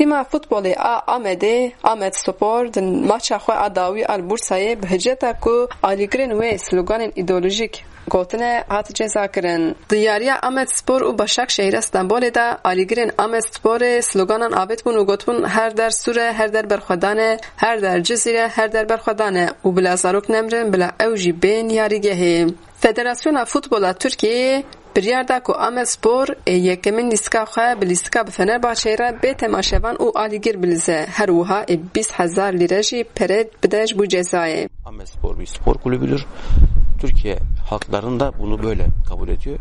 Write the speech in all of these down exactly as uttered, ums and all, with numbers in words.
Tîma futbolê a Amedê, Amed Spor, di maça xwe a dawî a li Bursayê bi hiceta ku alîgirên wê sloganên îdeolojîk gotine, hat cezakirin. Di yariya Amed Spor û Başakşehîra Stenbolê de alîgirên Amed Sporê sloganan avêt bûn û gotibûn, "Her der sûr e, her der berxwedan e, her der Cizîr e, her der berxwedan e" û "Bila zarok nemrin, bila ew jî bên yarîgehê." Federasyona Futbola Tirkiyeyê biryar da ku Amedspor ê yekemîn lîstika xwe bi lîstika bi Fenerbahçeyê re bê temaşevan û alîgir bilize, her wiha ê bîst hezar lîre jî pere bide ji bo cezayê. Amedspor bir spor kulübüdür. Türkiye halklarının da bunu böyle kabul ediyor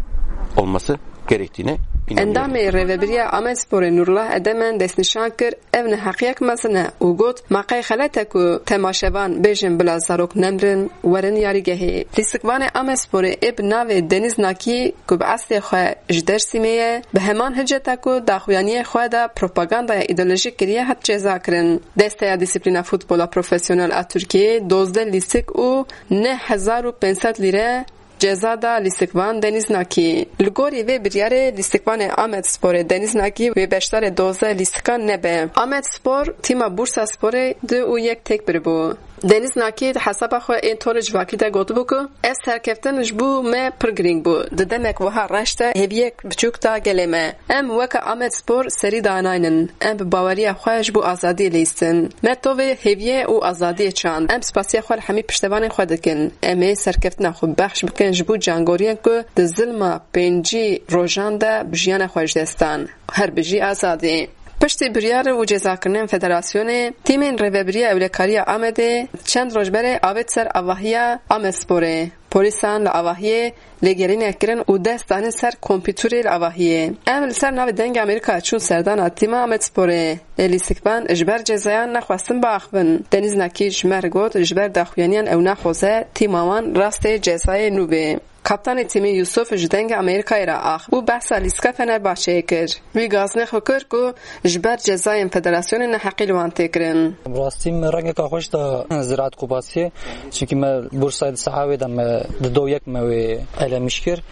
olması gerektiğine inanıyorum. Endamê Rêvebiriya Amedsporê Nurullah Edemen destnîşan kir, ev neheqiyek mezin e û got, "Ma qey xelet e ku temaşevan bêjin bila zarok nemrin, werin yarîgehê." Lîstikvanê Amedsporê ê bi navê Deniz Nakî ku bi eslê xwe ji Dersîmê ye, bi heman hiceta ku daxuyaniyê xwe de propagandaya îdeolojîk kiriye, hat cezakirin. Desteya Dîsîplîna Futbola Profesyonel a Tirkiyeyê dozdeh lîstik û neh hezar û pênc sed lîre ceza da lîstikvan Deniz Nakî. Li gorî vê biryarê lîstikvanê Amed Sporê Deniz Nakî wê beşdarê dozdeh lîstikan nebe. Amed Spor tîma Bursa Sporê du û yek têk biribû. Deniz Nakî di hesaba xwe ên Tore Civakî de gotibû ku, "Ev serkeftin ji bo me pir girîng bû. Di demek wiha reş de hêviyek biçûk da gelê me. Em weke Amed Spor serî danaynin. Em bi baweriya xwe ji bo azadiyê lihîstin. Me tovê hêviyê û azadiyê çand. Em spasiya xwe li hemî piştevanên xwe dikin. Em ê serkeftina xwe bexş bikin ji bo cangoriyên ku di zilma pêncî rojan de bi jiyana xwe ji dest dan. Her bijî azadî." Piştî biryar û cezakirinên federasyonê, tîmên Rêvebiriya Ewlekariya Amedê çend roj berê avêt ser avahiya Amedsporê. Polîsan li avahiyê lêgerînek kirin û dest danin ser kompîterê li avahiyê. Em li ser navê Dengê Amerîka çûn serdana tîma Amedsporê. Lê lîstikvan ji ber cezayan nexwestin biaxivin. Deniz Nakî ji me re got, ji ber daxuyaniyan ew naxwaze tîma wan rastê cezayê nû bê. Kaptanê tîmê Yusuf ji Dengê Amerîkayê re axivî û behsa lîstika Fenerbahçeyê kir. Wî gaznê xwe kir ku ji ber cezayên federasyonê neheqî li wan tê kirin. Rastî min rengeka xweş da Ziraat Kupasiyê. Çimkî me Bursayê di saha wê de me di do yek me wê elemiş kir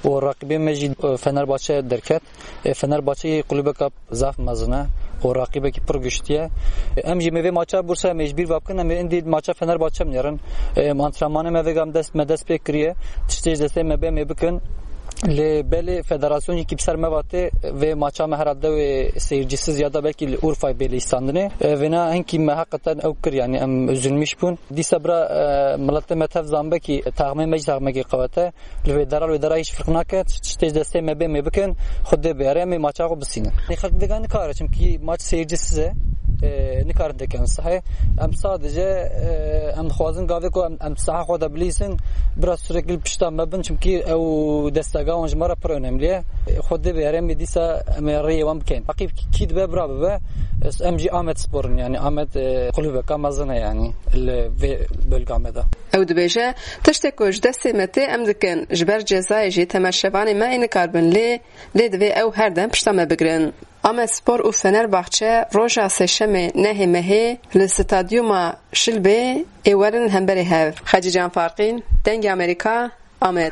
û raqîbê me jî, e, Fenerbahçe derket. E, Fenerbahçe yê kulübeka zaf mezin e û raqîbekî pir giştî ye. E, em jî me vê maça Bursayê me ji bîr ve bikin, em ê indî maça Fenerbahçe binêrin. E, em antrenmanê me vêga em dest, me dest pê kiriye. Tiştê ji destê me bê em ê bikin. Lê belê federasyon jî kî bi ser me ve tê, vê maça me herhalde wê seyircisiz ya da belkî li Urfayê bê lîstandinê. E, vêna hinkî me heqeten ew kir, yanî em üzülmüş bûn. Dîsa bira, e, miletê me tev zanbe kî taxmê me jî taxmekî qewet e. Li wê dera, li wê dera hiç firq nake. Tiştê ji destê me bê em ê bikin. Xwedê bêre em ê maça xwe bisînin. Ê xelk vêga nikare, çimkî maç seyircisiz e. E, nikarin têkevin sahê. Em sadece, e, em dixwazin gavê ku em, em saha xwe de bilîsin, biraz sürekli pişta me bin, çimkî ew destega wan ji me re pir önemli ye. E, Xwedê bêre em ê dîsa em ê rêyê wan bikin. Raqîb kî dibe bira bibe. E, em jî Amed Spor in, yani Amed, e, kulübeka mezin e yani li vê bölga me de. Ew dibêje, tiştê ku ji destê me tê em dikin, ji ber cezayê jî temaşevanê me ê nikarbin lê, lê divê ew her dem pişta me bigirin. Amedspor û Fenerbahçe roja sêşemê nehê mehê li stadyuma Şilbê ê werin hemberê hev. Xecîcan Farqîn, Dengê Amerîka, Amed.